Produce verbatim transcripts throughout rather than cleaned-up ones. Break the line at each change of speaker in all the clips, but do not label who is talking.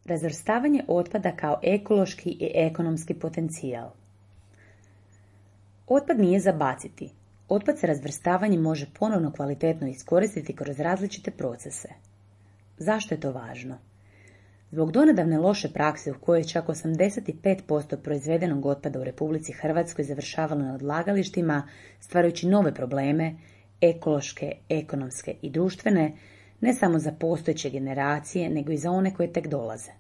Razvrstavanje otpada kao ekološki i ekonomski potencijal. Otpad nije za baciti. Otpad se razvrstavanjem može ponovno kvalitetno iskoristiti kroz različite procese. Zašto je to važno? Zbog donedavne loše prakse u kojoj je čak osamdeset pet posto proizvedenog otpada u Republici Hrvatskoj završavalo na odlagalištima, stvarajući nove probleme, ekološke, ekonomske i društvene, ne samo za postojeće generacije, nego i za one koje tek dolaze.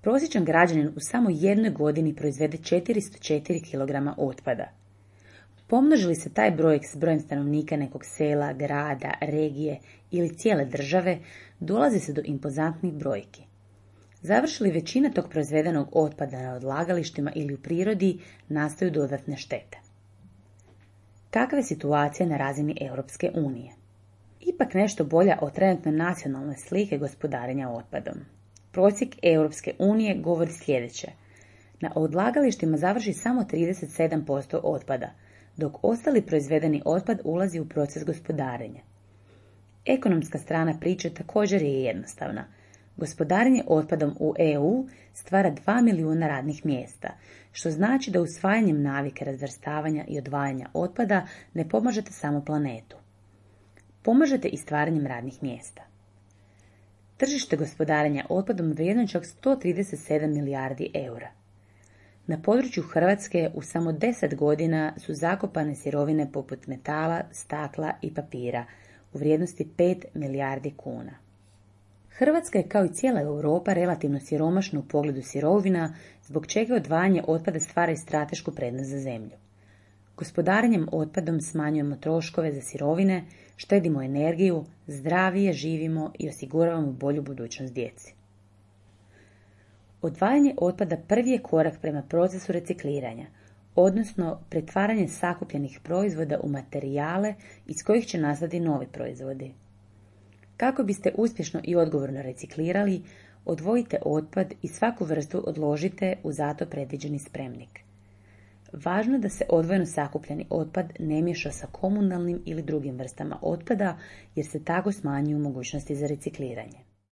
Prosječan građanin u samo jednoj godini proizvede četiristo četiri kilograma otpada. Pomnoži li se taj brojek s brojem stanovnika nekog sela, grada, regije ili cijele države, dolazi se do impozantnih brojki. Završi li većina tog proizvedenog otpada na odlagalištima ili u prirodi, nastaju dodatne štete. Kakva je situacija na razini Europske unije? Ipak nešto bolja od trenutno nacionalne slike gospodarenja otpadom. Prosjek Europske unije govori sljedeće. Na odlagalištima završi samo trideset sedam posto otpada, dok ostali proizvedeni otpad ulazi u proces gospodarenja. Ekonomska strana priče također je jednostavna. Gospodarenje otpadom u E U stvara dva milijuna radnih mjesta, što znači da usvajanjem navike razvrstavanja i odvajanja otpada ne pomažete samo planetu. Pomažete i stvaranjem radnih mjesta. Tržište gospodarenja otpadom vrijedno čak sto trideset sedam milijardi eura. Na području Hrvatske u samo deset godina su zakopane sirovine poput metala, stakla i papira u vrijednosti pet milijardi kuna. Hrvatska je kao i cijela Europa relativno siromašna u pogledu sirovina, zbog čega odvajanje otpada stvara i stratešku prednost za zemlju. Gospodarenjem otpadom smanjujemo troškove za sirovine, štedimo energiju, zdravije živimo i osiguravamo bolju budućnost djeci. Odvajanje otpada prvi je korak prema procesu recikliranja, odnosno pretvaranje sakupljenih proizvoda u materijale iz kojih će nastati novi proizvodi. Kako biste uspješno i odgovorno reciklirali, odvojite otpad i svaku vrstu odložite u zato predviđeni spremnik. Važno je da se odvojeno sakupljeni otpad ne miješa sa komunalnim ili drugim vrstama otpada, jer se tako smanjuju mogućnosti za recikliranje.